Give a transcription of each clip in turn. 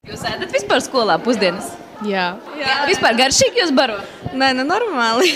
Jūs ēdat vispār skolā pusdienas? Jā. Vispār garšīgi jūs baro? Nē, normāli.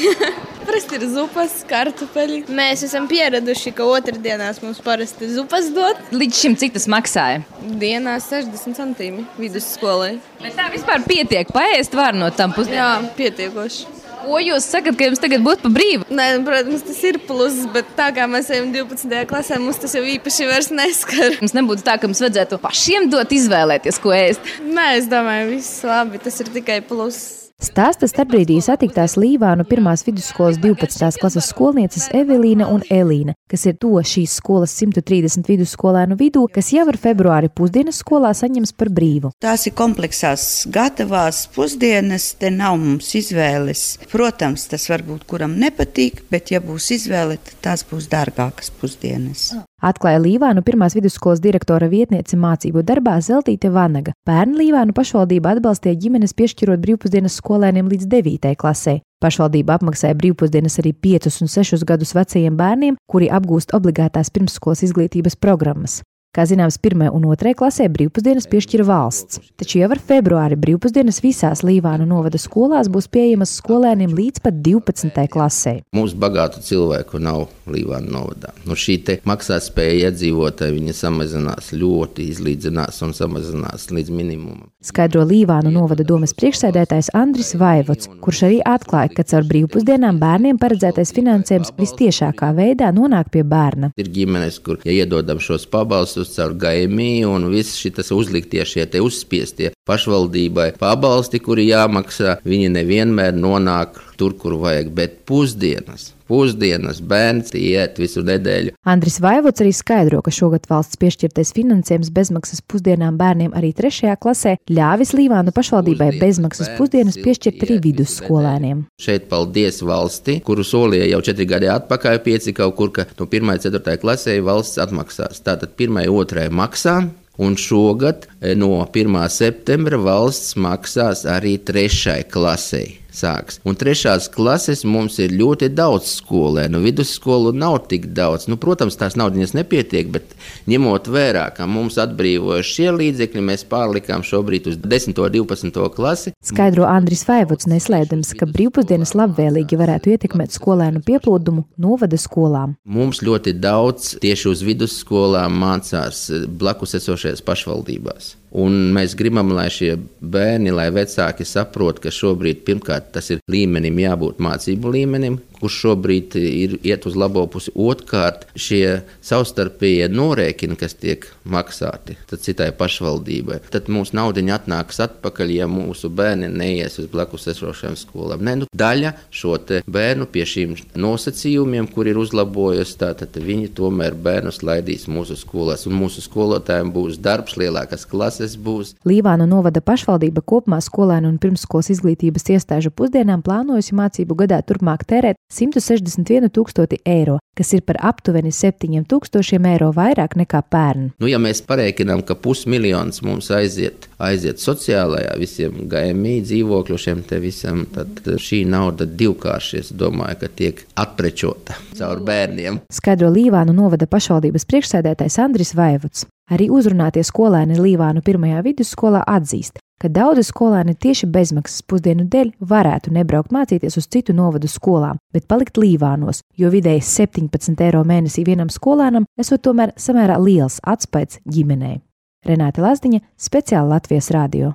Parasti ir zupas, kartupeļi. Mēs esam pieraduši, ka otrdienās mums parasti zupas dod. Līdz šim cik tas maksāja? Dienā 60 centīmi vidusskolai. Bet tā vispār pietiek, paēst var no tam pusdienām? Jā, pietiekoši. Ko jūs sakat, ka jums tagad būtu pa brīvu? Nē, protams, tas ir pluss, bet tā kā mēs ejam 12. klasē, mums tas jau īpaši vairs neskar. Mums nebūtu tā, ka mums vajadzētu pašiem dot izvēlēties, ko ēst. Nē, es domāju, viss labi, tas ir tikai pluss. Stāsta starpbrīdī satiktās Līvānu 1. vidusskolas 12. klases skolnieces Evelīna un Elīna, kas ir to šīs skolas 130 vidusskolēnu vidū, kas jau ar februāri pusdienas skolā saņems par brīvu. Tās ir kompleksās gatavās pusdienas, te nav mums izvēles. Protams, tas varbūt kuram nepatīk, bet ja būs izvēle, tad tās būs dārgākas pusdienas. Atklāja Līvānu 1. vidusskolas direktora vietniece mācību darbā Zeltīte Vanaga. Pērn Līvānu pašvaldība atbalstīja ģimenes piešķirot brīvpusdienas skolēniem līdz 9. klasē. Pašvaldība apmaksāja brīvpusdienas arī 5 un 6 gadus vecajiem bērniem, kuri apgūst obligātās pirmsskolas izglītības programmas. Kā zināms, 1. un 2. klasē brīvpusdienas piešķira valsts, taču jau ar februāri brīvpusdienas visās Līvānu novada skolās būs pieejamas skolēniem līdz pat 12. klasē. Mums bagātu cilvēku nav Līvānu novadā. Šī te maksātspēja iedzīvotāji, viņa samazinās ļoti, izlīdzinās un samazinās līdz minimumam. Skaidro Līvānu novada domes priekšsēdētājs Andris Vaivots, kurš arī atklāja, ka caur brīvpusdienām bērniem paredzētais finansējums vistiešākā veidā nonāk pie bērna. Ir ģimenes, kur iedodam šos pabalstus caur GMI un viss šitas uzliktie šie te uzspiestie pašvaldībai pabalsti, kuri jāmaksā, viņi nevienmēr nonāk tur, kur vajag, bet pusdienas bērns iet visu nedēļu. Andris Vaivots arī skaidro, ka šogad valsts piešķirtais finansējums bezmaksas pusdienām bērniem arī 3. klasē ļāvis Līvānu pašvaldībai bezmaksas pusdienas piešķirt arī vidusskolēniem. Šeit paldies valsti, kuru solīja jau 4 gadi atpakaļ 5 kaut kur, ka no 1. 4. klasē valsts atmaksās. Tātad 1. 2. maksā. Un šogad no 1. septembra valsts maksās arī 3. klasē. Sāks. Un 3. klases mums ir ļoti daudz skolēnu. Vidusskolu nav tik daudz. Protams, tās naudiņas nepietiek, bet ņemot vērā, ka mums atbrīvoja šie līdzekļi, mēs pārlikām šobrīd uz 10. un 12. klasi. Skaidro Andris Vaivots, neslēdams, ka brīvpusdienas labvēlīgi varētu ietekmēt skolēnu pieplūdumu novada skolām. Mums ļoti daudz tieši uz vidusskolām mācās blakus esošajās pašvaldībās. Un mēs gribam, lai šie bērni, lai vecāki saprot, ka šobrīd pirmkārt tas ir līmenim jābūt mācību līmenim, kurš šobrīd iet uz labo pusi. Otrkārt, šie savstarpējie norēķini, kas tiek maksāti citai pašvaldībai, tad mūsu naudiņa atnāks atpakaļ, ja mūsu bērni neies uz blakus esošajām skolām. Daļa šo te bērnu pie šīm nosacījumiem, kur ir uzlabojusi, tātad viņi tomēr bērnus laidīs mūsu skolās, un mūsu skolotājiem būs darbs, lielākas klases būs. Līvānu novada pašvaldība kopumā skolēnu un pirmsskolas izglītības iestāžu pusdienām plānojusi mācību gadā turpmāk tērēt 161 000 eiro, kas ir par aptuveni 7 000 eiro vairāk nekā pērn. Ja mēs parēķinām, ka 500 000 mums aiziet sociālajā visiem GMI dzīvokļušiem te visam, tad šī nauda divkāršies, domāju, ka tiek atprečota caur bērniem. Skaidro Līvānu novada pašvaldības priekšsēdētājs Andris Vaivots. Arī uzrunātie skolēni Līvānu 1. vidusskolā atzīst, ka daudzi skolēni tieši bezmaksas pusdienu dēļ varētu nebraukt mācīties uz citu novadu skolām, bet palikt Līvānos, jo vidēji 17 eiro mēnesī vienam skolēnam esot tomēr samērā liels atspaids ģimenei. Renāte Lazdiņa, speciāli Latvijas radio.